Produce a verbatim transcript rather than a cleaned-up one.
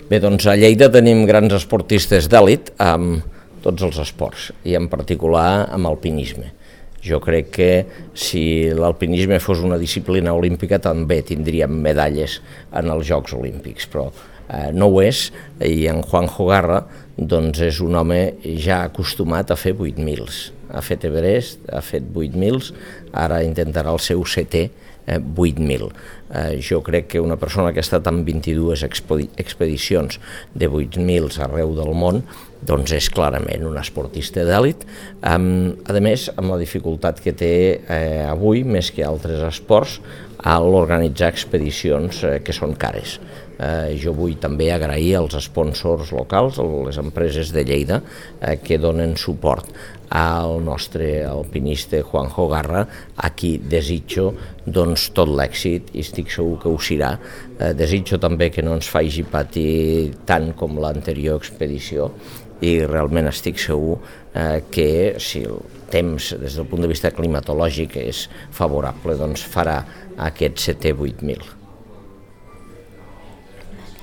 Bé, doncs a Lleida tenim grans esportistes d'èlit amb tots els esports i en particular amb alpinisme. Jo crec que si l'alpinisme fos una disciplina olímpica també tindríem medalles en els Jocs Olímpics, però eh, no ho és, i en Juanjo Garra doncs és un home ja acostumat a fer vuit mils. Ha fet Everest, ha fet vuit mils, ara intentarà el seu setè eh, vuit mil. Eh, jo crec que una persona que ha estat en vint-i-dues expedicions de vuit mils arreu del món doncs és clarament un esportista d'èlit, amb, a més amb la dificultat que té eh, avui, més que altres esports, a l'organitzar expedicions eh, que són cares. Eh, jo vull també agrair als sponsors locals, a les empreses de Lleida, eh, que donen suport al nostre alpinista Juanjo Garra, a qui desitjo doncs, tot l'èxit i estic segur que ho serà. Eh, desitjo també que no ens faci patir tant com l'anterior expedició i realment estic segur eh, que si el temps des del punt de vista climatològic és favorable, doncs farà aquest setè vuit mil.